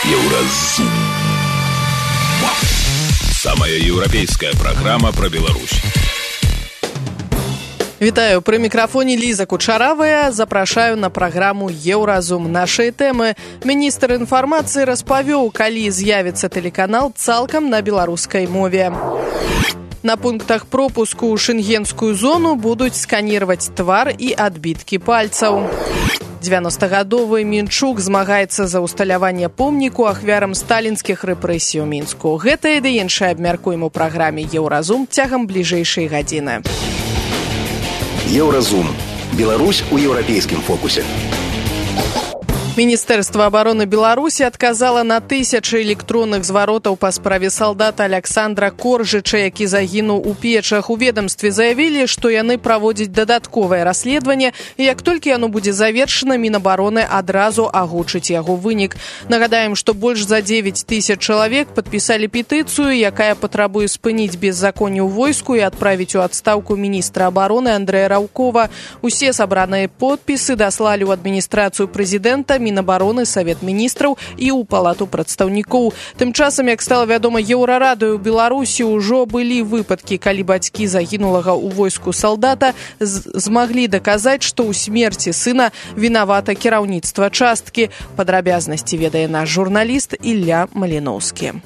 Еўразум. Самая еўрапейская программа про Беларусь. Вітаю, пры мікрафоне Ліза Кучаравая. Запрашаю на праграму «Еўразум». Нашыя тэмы. Міністр інфармацыі распавёў, калі з'явіцца тэлеканал цалкам на беларускай мове. На пунктах пропуску ў шенгенскую зону будуць сканировать твар і адбіткі пальцаў. 90-гадовы Мінчук змагаецца за усталяванне помніку ахвярам сталінскіх рэпрэсій у Мінску. Гэта і ды іншае абмяркуем у праграме «Еўразум» цягам бліжэйшай гадзіны. Еўразум. Беларусь у еўрапейскім фокусе. Міністэрства абароны Беларусі адказала на тысячы электронных зваротаў па справе салдата Александра Коржыча, які загінуў у Печах. У ведомстве заявілі, што яны праводзяць дадатковае расследаванне, і як толькі яно будзе завершана, Мінабароны адразу агучыць яго вынік. Нагадаем, што больш за 9 тысяч чалавек падпісалі петыцыю, якая патрабуе спыніць беззаконне ў войску і адправіць у адстаўку міністра абароны Андрэя Раўкова. Усе сабраныя подпісы даслалі ў адміністрацыю прэзідэнта, Мінабароны, Савет міністраў і ў палату прадстаўнікоў. Тым часам, як стала вядома Еўрарадыё, у Беларусі ўжо былі выпадкі, калі бацькі загінулага ў войску салдата змаглі даказаць, што ў смерці сына вінавата кіраўніцтва часткі. Падрабязнасці ведае наш журналіст Ілля Маліноўскі.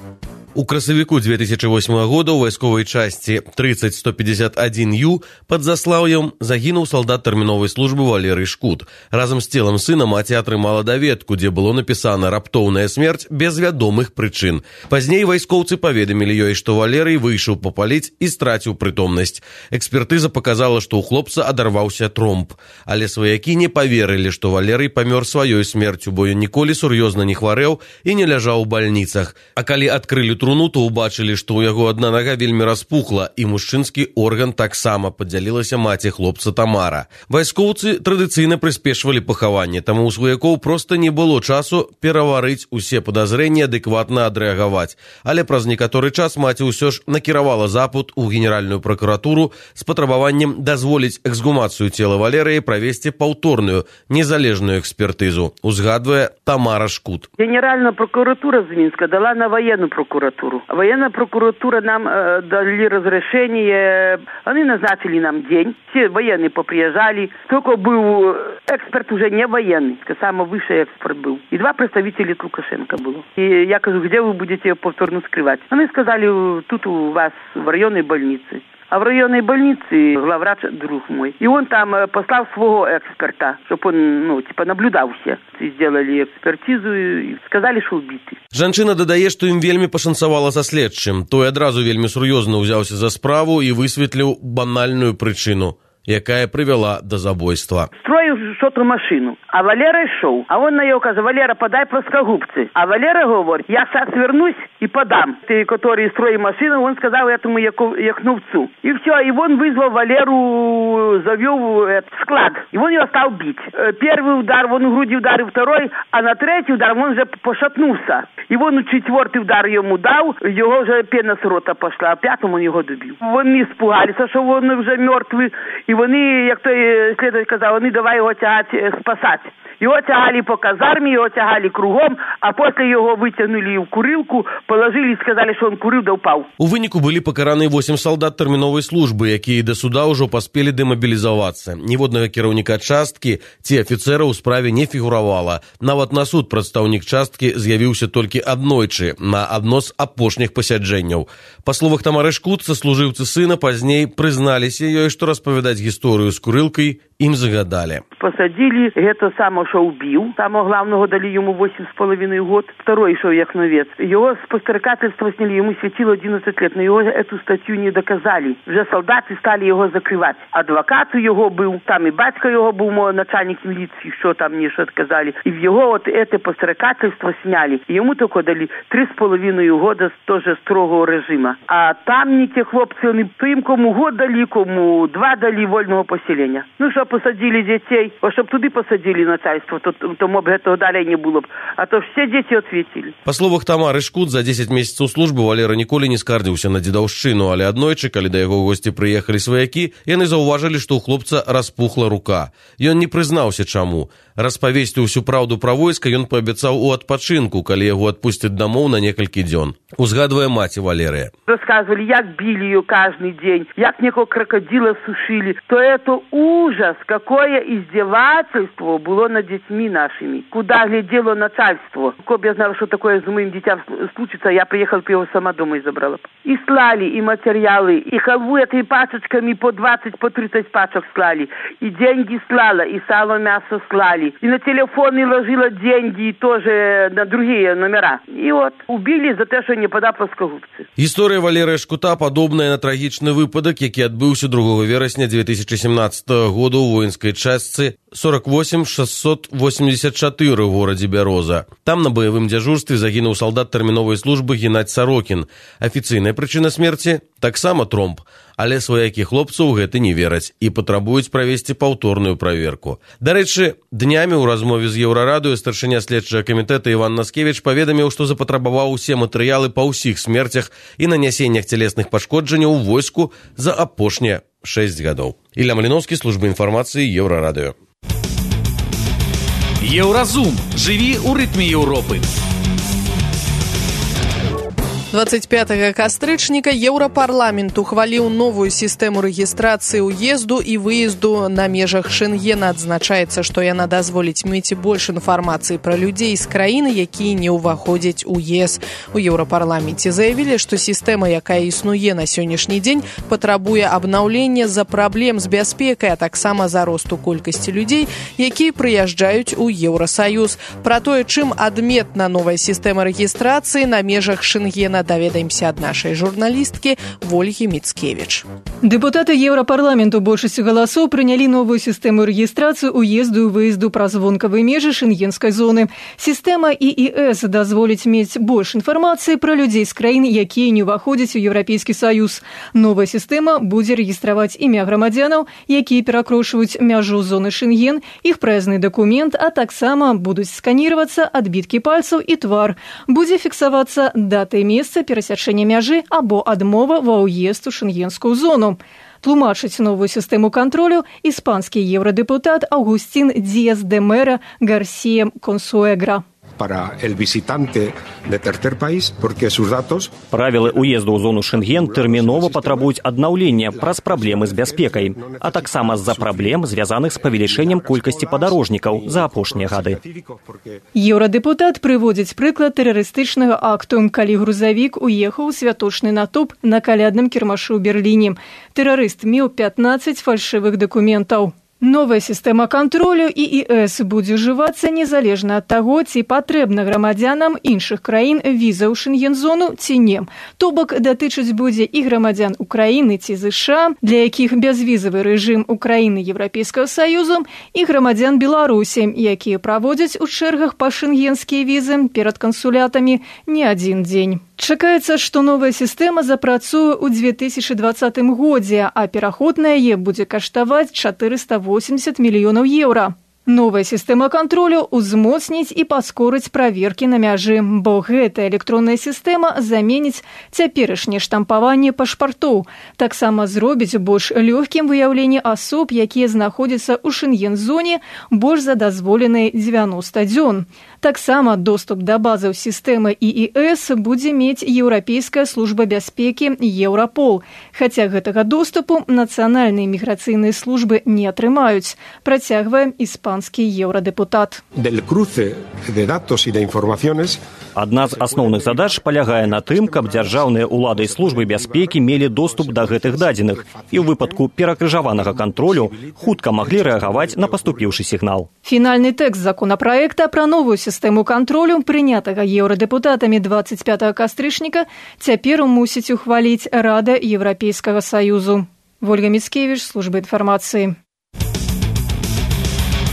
У красавіку 2008 года ў вайсковай часці 30151Ю пад Заслаўем загінуў салдат тэрміновай службы Валерый Шкут. Разам з целам сына маці атрымала даведку, дзе было напісана «Раптоўная смерць без вядомых прычын». Пазней вайскоўцы паведамілі ёй, што Валерый выйшаў папаліць і страціў прытомнасць. Экспертыза паказала, што ў хлопца адарваўся тромб. Але сваякі не паверылі, што Валерый памёр сваёй смерцю, бо ён ніколі сур'ёзна не хварэў і не ляжаў у бальніцах. А калі адкрылі труну, то ўбачылі, што ў яго адна нага вельмі распухла, і мужчынскі орган таксама, падзялілася маці хлопца Тамара. Вайскоўцы традыцыйна прыспешвалі пахаванне, таму ў сваякоў проста не было часу пераварыць усе падазрэнні, адэкватна адрэагаваць. Але праз некаторы час маці ўсё ж накіравала запыт у Генеральную пракуратуру з патрабаваннем дазволіць эксгумацыю цела Валерыя і правесці паўторную незалежную экспертызу, узгадвае Тамара Шкут. Генеральная прокуратура з Мінска дала на военную прокуратуру. Военная прокуратура нам дали разрешение, они назначили нам день, все военные поприезжали, только был эксперт уже не военный, самый высший эксперт был. И 2 представителя Лукашенко было. И я говорю, где вы будете повторно скрывать? Они сказали, тут у вас в районной больнице. А в районной больнице главврач друг мой. И он там послал своего эксперта, чтобы он, наблюдал все. Сделали экспертизу и сказали, что убиты. Жанчына дадае, што ім вельмі пашанцавала са следчым. Той адразу вельмі сур'ёзна ўзяўся за справу і высветліў банальную прычыну, якая прывяла до забойства. Строил что-то машину, а Валера шел. А он на ее каже, Валера, подай плоскогубцы. А Валера говорит, я сейчас вернусь и подам. Ты, который строил машину, он сказал этому яхновцу. И все, и он вызвал Валеру, завел в склад. И он его стал бить. Первый удар, он в груди ударил, второй, а на третий удар он уже пошатнулся. И он 4-й удар ему дал, его уже пена с рота пошла, а 5-м он его добил. Вони испугалися, що він вже мертвий, і вони, як той слідователь казав, вони давай його тягати, спасати. Його тягали по казармі, його тягали кругом, а після його витягнули в курилку, положили і сказали, що він курив да впав. У выніку былі пакараны 8 салдат тэрміновай службы, якія да суда ўжо паспелі дэмабілізавацца. Ніводнага кіраўніка часткі ці афіцэра ў справе не фігуравала. Нават на суд прадстаўнік часткі з'явіўся толькі аднойчы, на адно з апошніх пасяджэнняў. Па словах Тамары Шкут, сослужыўцы сына пазней прызналіся ёй, што распавядаць гісторыю з курылкай ім загадали. Посадили, это само, что убил. Самого главного дали ему 8,5 год. Второй шел яхновец. Его с подстрекательства сняли, ему светило 11 лет, но его эту статью не доказали. Уже солдаты стали его закрывать. Адвокат у его был, там и батька его был, начальник милиции, что там мне что отказали. И в его вот это подстрекательство сняли. И ему только дали 3,5 года тоже строгого режима. А там не те хлопцы, они им кому год дали, кому 2 дали вольного поселения. Ну, что посадили детей, а щоб туди посадили начальство, то моб гэтага далей не было б. А то все дети ответили. Па словах Тамары Шкут, за 10 месяцаў службы Валера ніколі не скардзіўся на дзедаўшчыну, але аднойчы, калі да яго ў госці прыехалі сваякі, яны заўважылі, што ў хлопца распухла рука. Ён не прызнаўся чаму. Распавесці ўсю праўду пра войска ён паабяцаў у адпачынку, калі яго адпусцяць дамоў на некалькі дзён. Узгадвае маці Валерыя. Рассказывали, як били ее каждый день, як некого крокодила сушили. То это ужас, какое издевательство было над детьми нашими. Куда глядело начальство. Коли я знала, что такое с моим детям случится, я приехала, его сама дома и забрала. И слали, и материалы, и халву этой пачечками по 20, по 30 пачек слали. И деньги слала, и сало, мясо слали. И на телефоны ложила деньги тоже на другие номера. И вот убили за то, что не пода плоскогубцы. Гісторыя Валерыя Шкута падобная на трагічны выпадак, які адбыўся 2 верасня 2017 года ў воінскай частцы 48-684 у горадзе Бяроза. Там на баявым дзяжурстве загінуў салдат тэрміновай службы Геннадзь Сорокін. Афіцыйная прычына смерці таксама тромб, але сваякі хлопцаў гэты не вераць і патрабуюць правесці паўторную праверку. Дарэчы, днямі ў размове з Еўрарадыё старшыня следчага камітэта Іван Наскевіч паведаміў, што запатрабаваў усе матэрыялы па ўсіх смерцях і нанясеннях цялесных пашкоджанняў у войску за апошнія 6 гадоў. Ілля Маліноўскі, служба інфармацыі, Еўрарадыё. Еўразум. Жыві ў рытме Еўропы. 25 кастрычніка Еўрапарламент ухваліў новую сістэму рэгістрацыі ўезду і выезду на межах Шэнгена. Адзначаецца, што яна дазволіць мець больш інфармацыі пра людзей з краіны, якія не ўваходзяць у ЕС. У Еўрапарламенце заявілі, што сістэма, якая існуе на сённяшні дзень, патрабуе абнаўлення з-за праблем з бяспекай, а таксама за росту колькасці людзей, якія прыязджаюць у Еўрасаюз. Пра тое, чым адметна новая сістэма рэгістрацыі на межах Шэнгена, даведаемся ад нашай журналісткі Вольгі Міцкевіч. Дэпутаты Еўрапарламенту большасцю галасоў прынялі новую сістэму рэгістрацыі ўезду і выезду праз вонкавыя межы шэнгенскай зоны. Сістэма ЕС дазволіць мець больш інфармацыі пра людзей з краін, якія не ўваходзяць у Еўрапейскі саюз. Новая сістэма будзе рэгістраваць імя грамадзянаў, якія перакрошваюць мяжу зоны Шэнген, іх праязны дакумент, а таксама будуць сканіравацца адбіткі пальцаў і твар. Будзе фіксавацца дата і месца перасячэння мяжы або адмова ва ўезд у шэнгенскую зону. Тлумачыць новую сістэму кантролю іспанскі еўрадэпутат Аугустин Диас де Мера Гарсия Консуэгра. Para el visitante de tercer país, porque sus datos... Правілы ўезду ў зону Шэнген тэрмінова патрабуюць аднаўлення праз праблемы з бяспекай, а таксама з-за праблем, звязаных з павелічэннем колькасці падарожнікаў за апошнія гады. Еўрадэпутат прыводзіць прыклад тэрарыстычнага акту, калі грузавік уехаў у святочны натоўп на калядным кірмашы ў Берліне. Тэрарыст меў 15 фальшывых дакументаў. Новая сістэма кантролю ЕС будзе ўжывацца незалежна ад таго, ці патрэбна грамадзянам іншых краін віза ў Шэнген-зону ці не. То бок датычыць будзе і грамадзян Украіны ці ЗША, для якіх бязвізавы рэжым Украіны Еўрапейскага Саюзу, і грамадзян Беларусі, якія праводзяць у чэргах па шэнгенскія візы перад кансулятамі не адзін дзень. Чакаецца, што новая сістэма запрацуе ў 2020 годзе, а пераход на яе будзе каштаваць 480 мільёнаў еўра. Новая сістэма кантролю ўзмоцніць і паскорыць праверкі на мяжы, бо гэтая электронная сістэма заменіць цяперашняе штампаванне пашпартоў. Таксама зробіць больш лёгкім выяўленне асоб, якія знаходзяцца ў Шэнген-зоне больш за дазволеныя 90 дзён. Таксама доступ да базаў сістэмы ЕС будзе мець Еўрапейская служба бяспекі Еўрапол, хаця гэтага доступу нацыянальныя міграцыйныя службы не атрымаюць, працягвае іспанскі еўрадэпутат. Адна з асноўных задач палягае на тым, каб дзяржаўныя ўлады і службы бяспекі мелі доступ да гэтых дадзеных і ў выпадку перакрыжаванага кантролю хутка маглі рэагаваць на паступіўшы сігнал. Фінальны тэкст законапраекта пра новую сістэму кантролю, прынятага еўрадэпутатамі 25 кастрычніка, цяпер мусіць ухваліць Рада Еўрапейскага Саюзу. Вольга Міцкевіч, служба інфармацыі.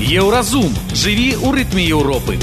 Еўразум. Жыві ў рытме Еўропы.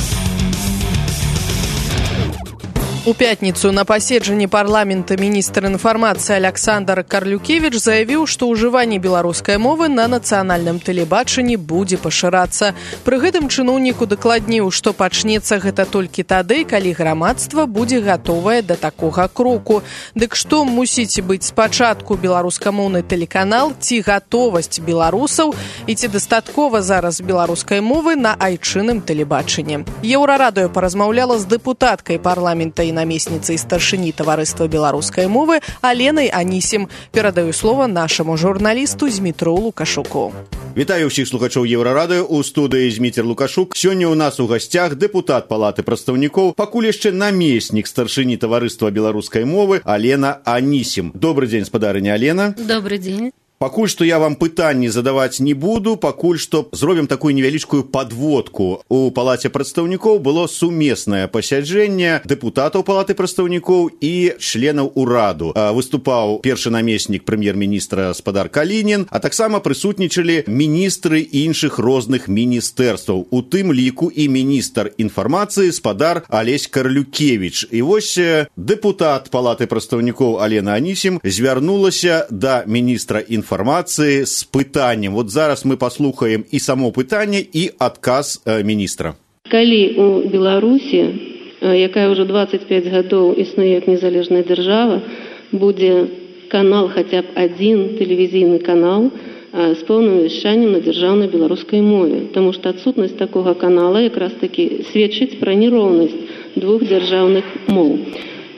У пятніцу на паседжанні парламента міністр інфармацыі Александр Карлюкевич заявіў, што ўжыванне беларускай мовы на нацыянальным тэлебачанні будзе пашырацца. Пры гэтым чыноўніку дакладніў, што пачнецца гэта толькі тады, калі грамадства будзе гатовае да такога кроку. Дык што мусіць быць спачатку беларускамоўны тэлеканал, ці гатовасць беларусаў і ці дастаткова зараз беларускай мовы на айчынным тэлебачанні. Еўрарадыё паразмаўляла з дэпутаткай парламента і намесніцай старшыні таварыства беларускай мовы Аленай Анісім. Перадаю слова нашаму журналісту Змітру Лукашуку. Вітаю ўсіх слухачоў Еўрарадыё, у студыі Зміцер Лукашук. Сёння ў нас у гасцях дэпутат Палаты прадстаўнікоў, пакуль яшчэ намеснік старшыні таварыства беларускай мовы Алена Анісім. Добрый дзень, спадарыня Алена. Добрый дзень. Пакуль што я вам пытанні задаваць не буду, пакуль што зробім такую невялічкую падводку. У Палаце прадстаўнікоў было сумеснае пасяджэнне дэпутатаў Палаты прадстаўнікоў і членаў ураду. Выступаў першы намеснік прэм'ер-міністра спадар Калінін, а таксама прысутнічалі міністры іншых розных міністэрстваў, у тым ліку і міністр інфармацыі спадар Алесь Карлюкевич. І вось дэпутат Палаты прадстаўнікоў Алена Анісім звярнулася да міністра інфармацыі с пытаннем. Вот зараз мы паслухаем і само пытанне, і адказ міністра. Калі у Беларусі, якая ўжо 25 гадоў існуе як незалежная дзяржава, будзе канал, хаця б адзін тэлевізійны канал з поўным вяшчаннем на дзяржаўнай беларускай мове. Таму што адсутнасць такога канала якраз такі сведчыць пра нероўнасць двух дзяржаўных моў.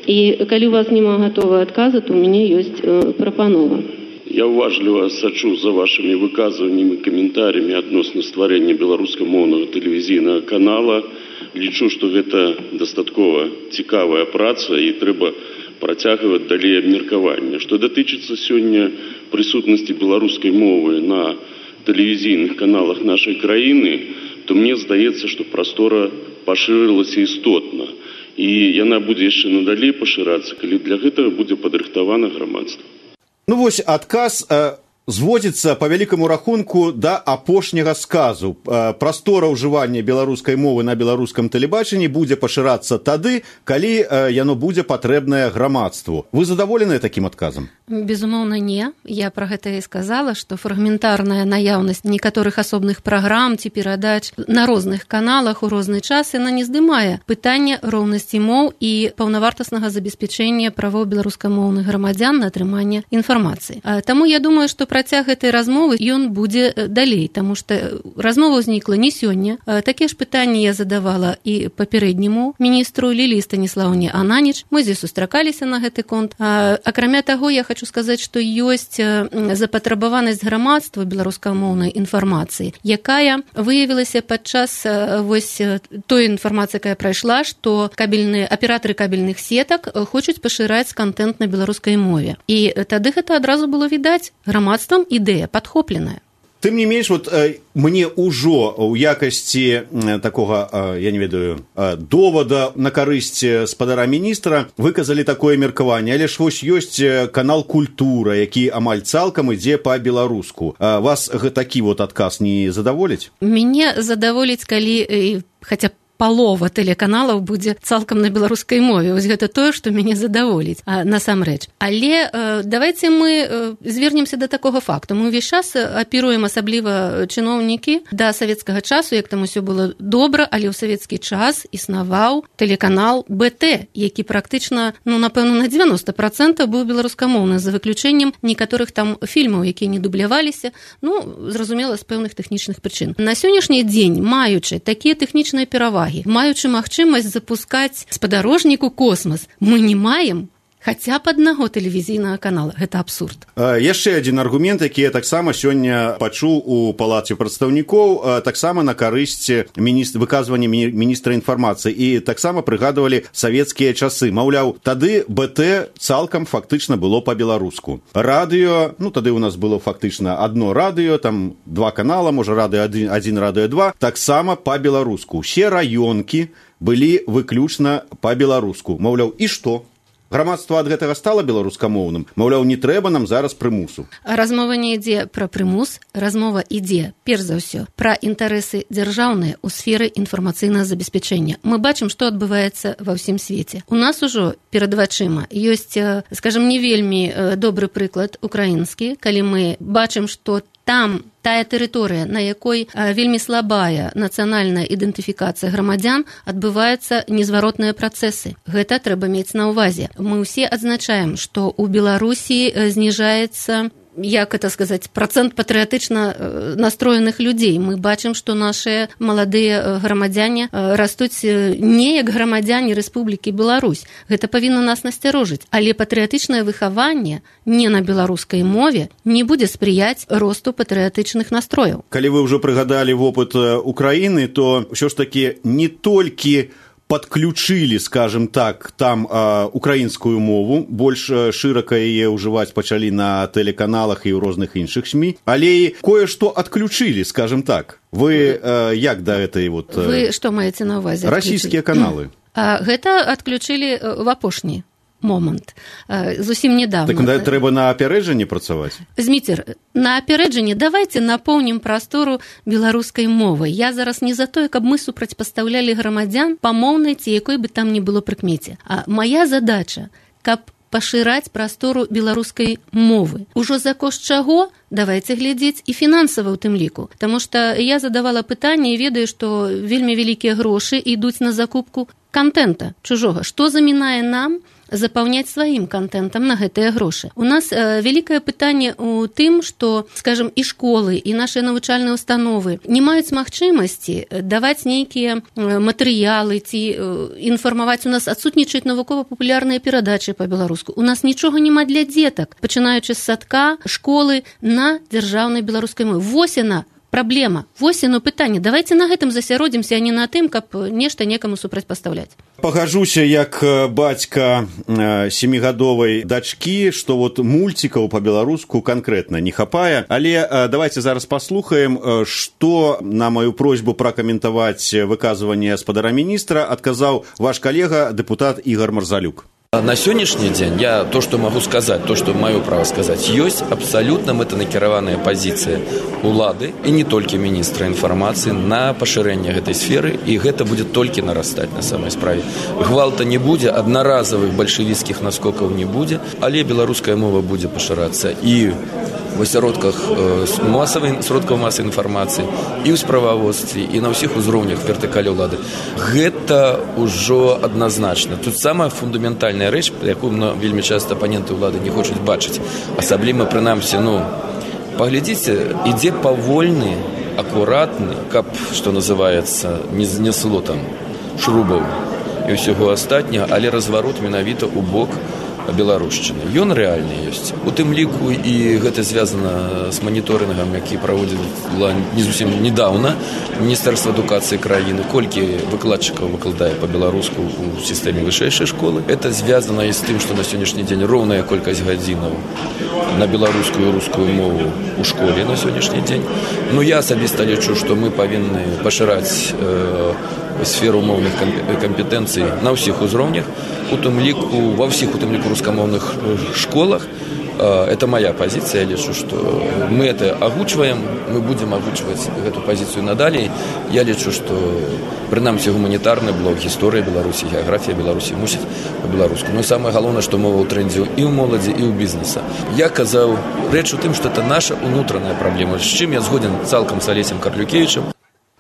І калі у вас няма гатовага адказа, то ў мяне ёсць прапанова. Я уважліва сачу за вашими выказваннямі і каментарямі адносна стварэння беларускамоўнага тэлевізійнага канала. Лічу, што гэта дастаткова цікавая праца і трэба працягваць далей абмеркаванне. Што датычыцца сёння прысутнасці беларускай мовы на тэлевізійных каналах нашай краіны, то мне здаецца, што прастора пашырылася істотна. І яна будзе яшчэ надалей пашырацца, калі для гэтага будзе падрыхтавана грамадства. Ну вось адказ зводзіцца па вялікаму рахунку да апошняга сказу. Прастора ўжывання беларускай мовы на беларускам тэлебачанні будзе пашырацца тады, калі яно будзе патрэбнае грамадству. Вы задаволеныя такім адказам? Безумоўна, не. Я пра гэта і сказала, што фрагментарная наяўнасць некаторых асобных праграм ці перадач на розных каналах у розны час яна не здымае пытанне роўнасці моў і паўнавартаснага забеспячэння правоў беларускамоўных грамадзян на атрыманне інфармацыі. Таму я думаю, што працяг гэтай размовы ён будзе далей, таму што размова ўзнікла не сёння. Такія ж пытанні я задавала і папярэдняму міністру Ліліі Станіслаўне Ананіч. Мы здесь сустракаліся на гэты конт. Акрамя таго, я хочу сказаць, што ёсць запатрабаванасць грамадства беларускамоўнай інфармацыі, якая выявілася падчас вось той інфармацыі, якая прайшла, што аператары кабельных сетак хочуць пашыраць контент на беларускай мове. І тады гэта адразу было відаць. Грамадствам ідэя падхопленая. Тым не менш, вот мне ўжо ў якасці такога, я не ведаю, довада на карысць спадара міністра выказалі такое меркаванне, але ж вось ёсць канал «Культура», які амаль цалкам ідзе па-беларуску. Вас такі вот адказ не задаволіць? Мяне задаволіць, калі хаця б палова тэлеканалаў будзе цалкам на беларускай мове. Вось гэта тое, што мяне задаволіць насамрэч. Але давайце мы звернемся да такога факту. Мы ўвесь час апіруем, асабліва чыноўнікі, да савецкага часу, як там усё было добра, але ў савецкі час існаваў тэлеканал БТ, які практычна, напэўна, на 90% быў беларускамоўны, за выключэннем некаторых там фільмаў, якія не дубляваліся, зразумела, з пэўных тэхнічных прычын. На сённяшні дзень, маючы такія тэхнічныя перавагі, маючы магчымасць запускаць спадарожнік у космас, мы не маем хаця б аднаго тэлевізійнага канала. Гэта абсурд. Яшчэ адзін аргумент, які я таксама сёння пачуў у Палаце прадстаўнікоў, таксама на карысць выказвання міністра інфармацыі, і таксама прыгадвалі савецкія часы. Маўляў, тады БТ цалкам фактычна было па-беларуску. Радыё, тады у нас было фактычна адно радыё, там 2 канала, можа радыё 1, радыё 2, таксама па-беларуску. Усе раёнкі былі выключна па-беларуску. Маўляў, і што? Грамадства ад гэтага стала беларускамоўным? Маўляў, не трэба нам зараз прымусу. Размова не ідзе пра прымус, размова ідзе, перш за ўсё, пра інтарэсы дзяржаўныя ў сферы інфармацыйнага забеспячэння. Мы бачым, што адбываецца ва ўсім свеце. У нас ужо перад вачыма ёсць, скажам, не вельмі добры прыклад украінскі, калі мы бачым, што там тая тэрыторыя, на якой вельмі слабая нацыянальная ідэнтыфікацыя грамадзян, адбываюцца незваротныя працэсы. Гэта трэба мець на ўвазе. Мы ўсе адзначаем, што ў Беларусі зніжаецца, як это сказаць, працэнт патрыятычна настроеных людзей. Мы бачым, што нашыя маладыя грамадзяне растуць не як грамадзяне Рэспублікі Беларусь. Гэта павінна нас насцярожыць. Але патрыятычнае выхаванне не на беларускай мове не будзе спрыяць росту патрыятычных настрояў. Калі вы ўжо прыгадалі вопыт Украіны, то ўсё ж такі не толькі подключили, скажем так, там украінскую мову, больш шырака яе ўжываць пачалі на тэлеканалах і ў розных іншых СМІ, але і кое-што адключылі, скажем так. Вы як да гэтай вот... Вы што маеце на ўвазе? Расійскія каналы. Гэта адключылі в апошні момант, зусім недавно. Так трэба на апярэджанне працаваць? Зміцер, на апярэджанне давайте напоўнім прастору беларускай мовы. Я зараз не за тое, каб мы супрацьпастаўлялі грамадзян па моўнай ці якой бы там ні было прыкмеце. А моя задача, каб пашыраць прастору беларускай мовы. Ужо за кошт чаго? Давайте глядзець і фінансава ў тым ліку. Таму што я задавала пытанне і ведаю, што вельмі вялікія грошы ідуць на закупку контента чужога. Што замінае нам запаўняць сваім контентам на гэтыя грошы? У нас вялікае пытанне ў тым, што, скажем, і школы, і нашыя навучальныя установы не маюць магчымасці даваць нейкія матэрыялы ці інфармаваць. У нас адсутнічаюць навукова-папулярныя перадачы па-беларуску. У нас нічога няма для дзетак, пачынаючы з садка, школы на дзяржаўнай беларускай мове. Вось яна праблема. Вось яно пытанне. Давайте на гэтым засяродзімся, а не на тым, каб нешта некаму супрацьпастаўляць. Пагажуся як бацька 7гадовай дачкі, што вот мульцікаў па-беларуску канкрэтна не хапае, але давайте зараз паслухаем, што на маю просьбу пракаментаваць выказванне гаспадара міністра адказаў ваш калега, дэпутат Ігор Марзалюк. На сённяшні дзень я то, што магу сказаць, то, што маё права сказаць, ёсць абсалютна мэтанакіраваная пазіцыя улады і не толькі міністра інфармацыі на пашырэнне гэтай сферы, і гэта будзе толькі нарастаць на самай справе. Гвалта не будзе, аднаразавых бальшавіцкіх наскокаў не будзе, але беларуская мова будзе пашырацца і в асяродках сродкаў масавай інфармацыі, і ў справаводстве, і на ўсіх узроўнях вертыкалі ўлады. Гэта ўжо адназначна. Тут самая фундаментальная рэч, якую вельмі часта апаненты ўлады не хочуць бачыць. Асабліва, прынамсі, паглядзіце, ідзе павольны, акуратны, каб, што называецца, не знесло там шрубаў і ўсяго астатняга, але разварот менавіта ў бок беларушчыны. Ён рэальны ёсць. У тым ліку і гэта звязана з маніторынгам, які праводзіла не зусім недаўна Міністэрства адукацыі краіны, колькі выкладчыкаў выкладае па-беларуску ў сістэме вышэйшай школы. Это звязана і з тым, што на сённяшні дзень роўная колькасць гадзінаў на беларускую і рускую мову ў школе на сённяшні дзень. Я асабіста лічу, што мы павінны пашыраць сферу моўных кампетэнцый на ўсіх узроўнях, ва ўсіх у тым ліку рускамоўных школах. Это моя пазіцыя, я лічу, што мы это агучваем, мы будзем агучваць гэту пазіцыю надалей. Я лічу, што прынамсі гуманітарны блок, гісторыя Беларусі, геаграфія Беларусі мусіць па-беларуску. І самае галоўнае, што мова ў трэндзе і ў моладзі, і ў бізнеса. Я казаў, рэч у тым, што это наша ўнутраная праблема, з чым я згоден цалкам з Алесем Карлюкевічам.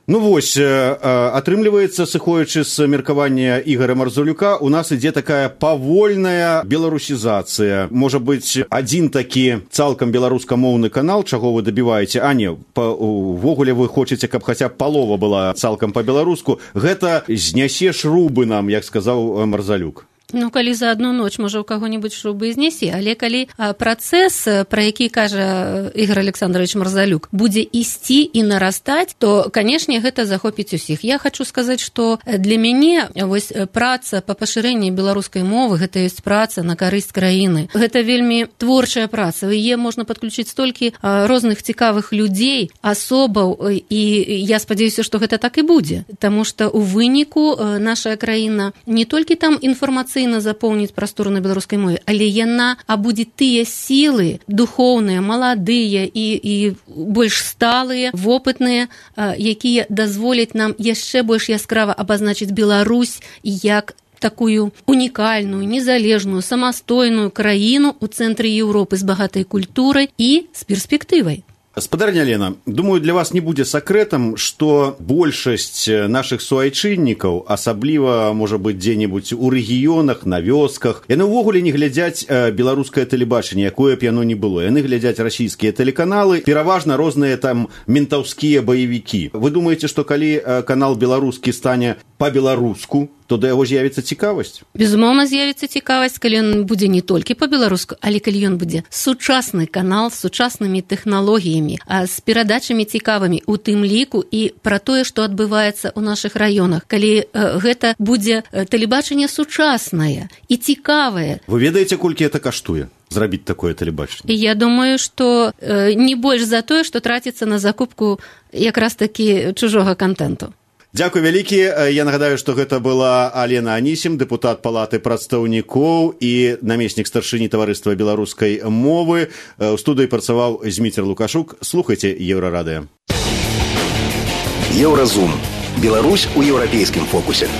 Вось, атрымліваецца, сыходзячы з меркавання Ігора Марзалюка, у нас ідзе такая павольная беларусізацыя. Можа быць, адзін такі цалкам беларускамоўны канал, чаго вы дабіваеце, а не, увогуле вы хочаце, каб хаця б палова была цалкам па-беларуску. Гэта знясе шрубы нам, як сказаў Марзалюк. Калі за одну ноч, можа, у каго-нибудь шрубы знесе, але калі працэс, пра які кажа Ігор Александрович Марзалюк, будзе ісці і нарастаць, то, канешне, гэта захопіць усіх. Я хочу сказаць, што для мяне вось праца па пашырэнні беларускай мовы, гэта ёсць праца на карысць краіны. Гэта вельмі творчая праца. Яе можна падключыць столькі розных цікавых людзей, асобаў, і я спадзяюся, што гэта так і будзе. Таму што у выніку наша краіна не толькі там інфармацыйна павінна запоўніць прастору на беларускай мове, але яна абудзе тыя сілы духоўныя, маладыя і больш сталыя, вопытныя, якія дазволяць нам яшчэ больш яскрава абазначыць Беларусь як такую унікальную, незалежную, самастойную краіну ў цэнтры Еўропы з багатай культурай і з перспектывай. Спадарня Лена, думаю, для вас не будзе сакрэтам, што большасць нашых суайчыннікаў, асабліва, можа быць, дзе-небудзь у рэгіёнах, на вёсках, яны ўвогуле не глядзяць беларускае тэлебачанне, якое б яно ні было. Яны глядзяць расійскія тэлеканалы, пераважна розныя там ментаўскія баевікі. Вы думаеце, што калі канал беларускі стане па-беларуску, то да яго з'явіцца цікавасць? Безумоўна, з'явіцца цікавасць, калі ён будзе не толькі па-беларуску, але калі ён будзе сучасны канал з сучаснымі тэхналогіямі, з перадачамі цікавымі, у тым ліку і пра тое, што адбываецца ў нашых раёнах. Калі гэта будзе тэлебачанне сучаснае і цікавае. Вы ведаеце, колькі гэта каштуе? Зрабіць такое тэлебачанне? Я думаю, што не больш за тое, што траціцца на закупку якраз такі чужога контенту. Дзякуй вялікі. Я нагадаю, што гэта была Алена Анісім, дэпутат Палаты прадстаўнікоў і намеснік старшыні таварыства беларускай мовы. У студыі працаваў Зміцер Лукашук. Слухайце Еўрарадыё. Еўразум. Беларусь у еўрапейскім фокусе.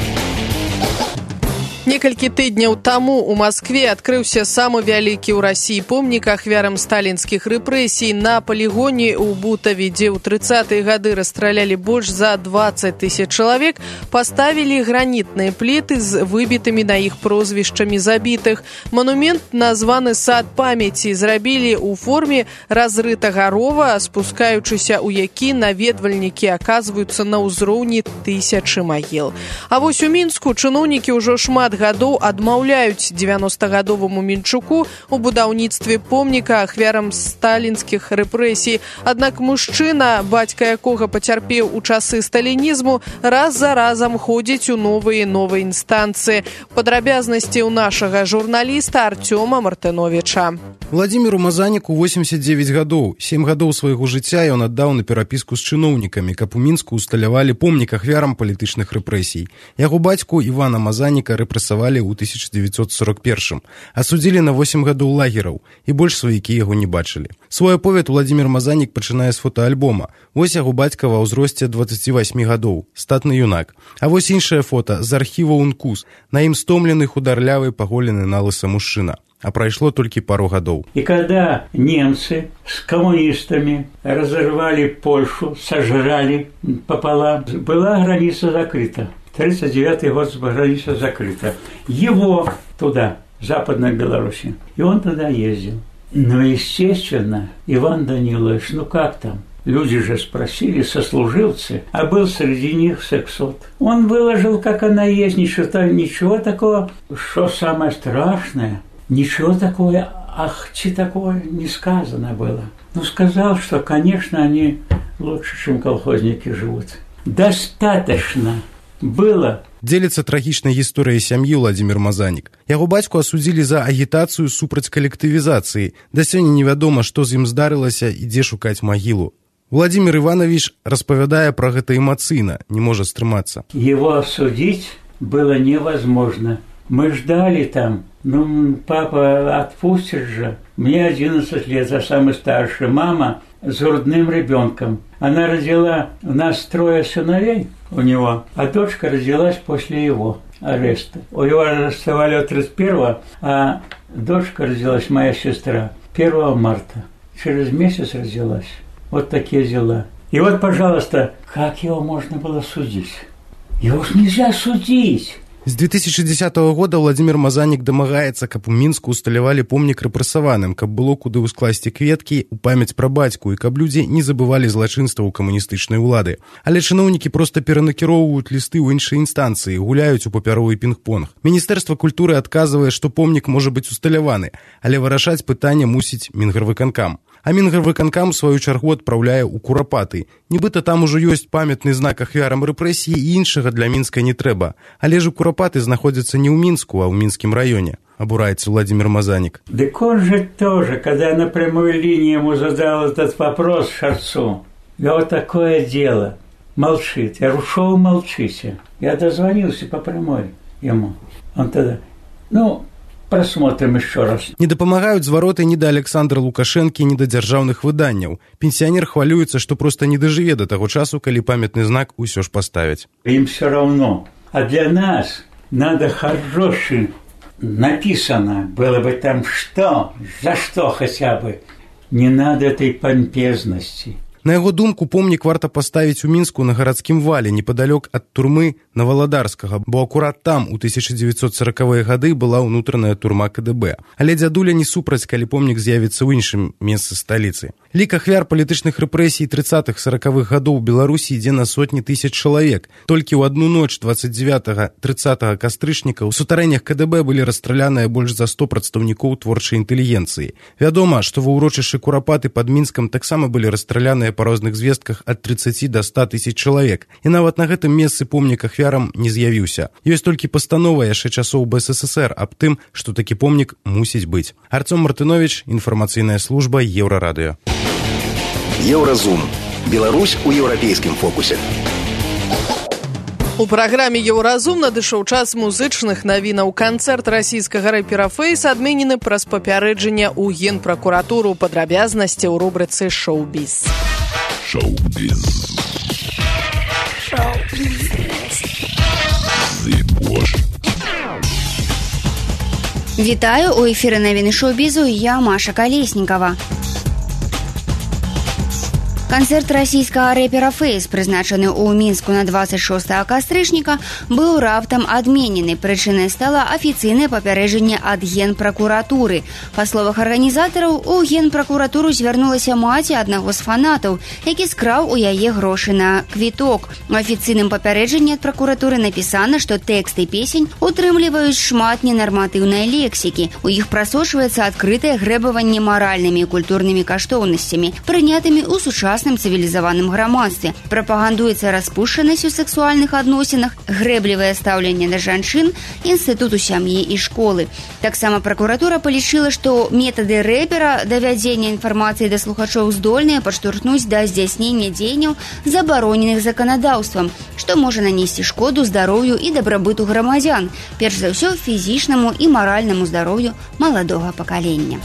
Некалькі тыдняў таму ў Маскве адкрыўся самы вялікі ў Расіі помнік ахвярам сталінскіх рэпрэсій на палігоне ў Бутаве, дзе ў 30-е гады расстралялі больш за 20 000 чалавек, паставілі гранітныя пліты з выбітымі на іх прозвішчамі забітых. Манумент, названы сад памяці, зрабілі ў форме разрытага рова, спускаючыся ў які наведвальнікі аказваюцца на ўзроўні 1000 магіл. А вось у Мінску чыноўнікі ўжо шмат гадоў адмаўляюць 90-гадоваму Мінчуку у будаўніцтве помніка ахвярам сталінскіх рэпрэсій. Аднак мужчына, бацька якога пацярпеў у часы сталінізму, раз за разам ходзіць у новыя інстанцыі. Падрабязнасці ў нашага журналіста Артёма Мартыновіча. Владимиру Мазаніку 89 гадоў. 7 гадоў свайго жыцця ён аддаў на перапіску з чыноўнікамі, каб у Мінску усталявалі помнік ахвярам палітычных рэпрэсій. Яго бацьку Івана Мазаніка рэпрэсавалі ў 1941-м, асудзілі на 8 гадоў лагераў, і больш сваякі яго не бачылі. Свой аповед Владимир Мазанік пачынае з фотоальбома. Вось яго бацька ва ўзросце 28 гадоў, статны юнак. А вось іншае фота з архіва УНКУС. На ім стомлены, хударлявы, паголены на лыса мужчына. А прайшло толькі пару гадоў. И когда немцы с коммунистами разорвали Польшу, сожрали пополам, была граница закрыта. 1939 год граница закрыта. Его туда, в Западной Беларуси. И он туда ездил. Но, естественно, Иван Данилович, ну как там? Люди же спросили, сослуживцы, а был среди них сексот. Он выложил, как она есть, ничего такого, что самое страшное, ничего такого, такое не сказано было. Но сказал, что, конечно, они лучше, чем колхозники живут. Достаточно было. Дзеліцца трагічнай гісторыяй сям'і Владимир Мазанік. Яго бацьку асудзілі за агітацыю супраць калектывізацыі. Да сёння невядома, што з ім здарылася і дзе шукаць магілу. Владимир Иванович распавядае пра гэта эмацыйна, не можа стрымацца. Его осудить было невозможно. Мы ждали там. Ну, папа отпустит же. Мне 11 лет, а самый старший. Мама с грудным ребенком. Она родила, у нас 3 сыновей у него, а дочка родилась после его ареста. У его арестовали 31-го, а дочка родилась, моя сестра, 1 марта. Через месяц родилась. Вот такие дела. И вот, пожалуйста, как его можно было судить? Его ж нельзя судить. З 2010 года Владимир Мазанік дамагаецца, каб у Мінску усталявалі помнік рэпрэсаваным, каб было куды ўскласці кветкі ў памяць пра бацьку і каб людзі не забывалі злачынстваў камуністычнай улады. Але чыноўнікі проста перанакіроўваюць лісты ў іншыя інстанцыі, гуляюць у папяровы пінг-понг. Міністэрства культуры адказвае, што помнік можа быць усталяваны, але вырашаць пытанне мусіць Мінгарвыканкам. А Мінгарвыканкам, у сваю чаргу, адпраўляе ў Курапаты. Нібыта там ужо ёсць памятны знак ахвярам рэпрэсіі і іншага для Мінска не трэба. Але ж у Курапаты знаходзяцца не ў Мінску, а ў Мінскім раёне. Обурается Владимир Мазаник. Так он же тоже, когда на прямой линии ему задал этот вопрос Шарцу, я вот такое дело, молчит. Я ушел, молчите. Я дозвонился по прямой ему. Он тогда, Просмотрим еще раз. Не дапамагаюць звароты ні да Александра Лукашэнкі, ні да дзяржаўных выданняў. Пенсіянер хвалюецца, што проста не дажыве да таго часу, калі памятны знак усё ж паставяць. Им все равно. А для нас надо хороший написано было бы там что, за что хотя бы. Не надо этой помпезности. На яго думку, помнік варта паставіць у Мінску на гарадскім вале, непадалёк ад турмы Наваладарскага, бо акурат там у 1940-е гады была ўнутраная турма КДБ. Але дзядуля не супраць, калі помнік з'явіцца ў іншым месцы сталіцы. Лік ахвяр палітычных рэпрэсій 30-40-х гадоў Беларусі ідзе на сотні тысяч чалавек. Толькі ў адну ноч 29-30 кастрычніка ў сутарэннях КДБ былі расстраляныя больш за 100 прадстаўнікоў творчай інтэлігенцыі. Вядома, што ва ўрочышчы Курапаты пад Мінскам таксама былі расстраляныя па розных звестках ад 30 до 100 тысяч чалавек. І нават на гэтым месцы помнік ахвярам не з'явіўся. Ёсць толькі пастанова яшчэ часоў БССР аб тым, што такі помнік мусіць быць. Арцём Мартынович, інфармацыйная служба Еўрарадыё. Еўразум. Беларусь у еўрапейскім фокусе. У праграме «Еўразум» надышоў час музычных навінаў. Канцэрт расійскага рэпера Фэйс адменены праз папярэджанне ў Генпракуратуру. Падрабязнасці ў рубрыцы «Шоу-біз». Шоу-біз. Вітаю, у эфіры навіны шоу-бізу, я Маша Калеснікава. Канцэрт расійскага рэпера Фэйс, прызначаны ў Мінску на 26 кастрычніка, быў раптам адменены. Прычынай стала афіцыйнае папярэджанне ад Генпракуратуры. Па словах арганізатараў, у Генпракуратуру звярнулася маці аднаго з фанатаў, які скраў у яе грошы на квіток. У афіцыйным папярэджанні ад пракуратуры напісана, што тэксты песень утрымліваюць шмат ненарматыўнай лексікі. У іх прасочваецца адкрытае грэбаванне маральнымі і культурнымі каштоўнасцямі, прынятымі ў сучасным цывілізаваным грамадстве. Прапагандуецца распушчанасць у сексуальных адносінах, грэблівае стаўленне да жанчын, інстытуту сям'і і школы. Таксама пракуратура палічыла, што метады рэпера давядзення інфармацыі да слухачоў здольныя падштурхнуць да здзяйснення дзеянняў, забароненых заканадаўствам, што можа нанесці шкоду здароўю і дабрабыту грамадзян, перш за ўсё фізічнаму і маральнаму здароўю маладога пакалення.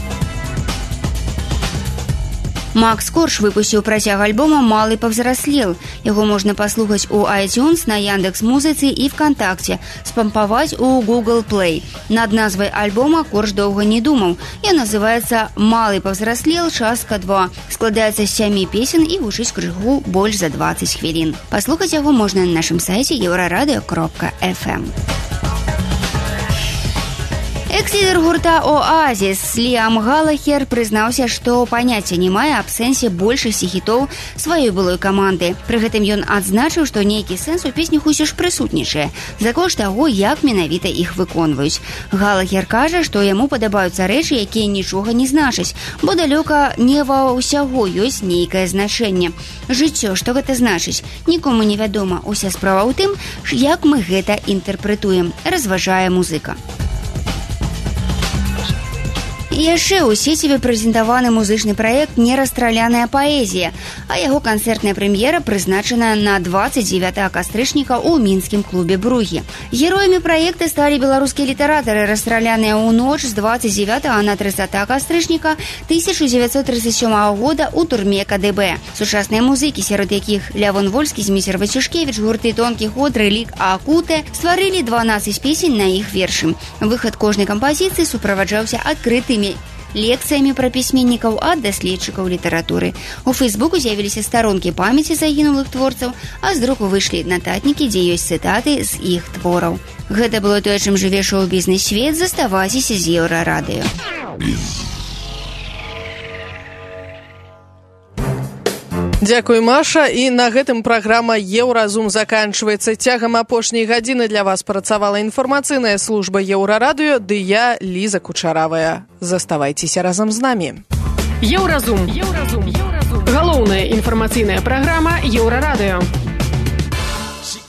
Макс Корж выпусціў працяг альбома «Малы павзраслел». Яго можна паслухаць у iTunes, на Яндекс.Музыцы і ВКонтакте, спампаваць у Google Play. Над назвай альбома Корж доўга не думаў. Ён называецца «Малы павзраслел. Частка 2». Складаецца з 7 песен і гучыць крыху больш за 20 хвілін. Паслухаць яго можна на нашым сайце euraradio.fm. Экс-лідер гурта «Оазіс» Ліам Галахер прызнаўся, што паняцця не мае аб сэнсе большасці хітоў сваёй былой каманды. Пры гэтым ён адзначыў, што нейкі сэнс у песнях усё ж прысутнічае, за кошт таго, як менавіта іх выконваюць. Галахер кажа, што яму падабаюцца рэчы, якія нічога не значаць, бо далёка не ва ўсяго ёсць нейкае значэнне. Жыццё, што гэта значыць, нікому не вядома. Уся справа ў тым, як мы гэта інтэрпрэтуем, разважае музыка. І яшчэ ў сеціве прэзентаваны музычны праект «Нерастраляная паэзія», а яго канцэртная прэм'ера прызначана на 29 кастрычніка ў мінскім клубе «Бругі». Героямі праекта сталі беларускія літаратары, расстраляныя ў ноч з 29 на 30 кастрычніка 1937 года ў турме КДБ. Сучасныя музыкі, сярод якіх Лявон Вольскі, Зміцер Вацюшкевіч, гурты «Тонкі ход», «Рэлік», «Акуте» стварылі 12 песень на іх вершы. Выхад кожнай кампазіцыі суправаджаўся адкрытымі лекцыямі пра пісьменнікаў ад даследчыкаў літаратуры. У Фейсбуку з'явіліся старонкі памяці загінулых творцаў, а з друку выйшлі нататнікі, дзе ёсць цытаты з іх твораў. Гэта было тое, чым жыве шоу-бізнес-свет. Заставайцеся з Еўрарадыё. Дзякуй, Маша. І на гэтым праграма «Еўразум» заканчваецца. Цягам апошняй гадзіны для вас працавала інфармацыйная служба Еўрарадыё, ды я, Ліза Кучаравая. Заставайцеся разам з намі. Еўразум. Галоўная інфармацыйная праграма Еўрарадыё.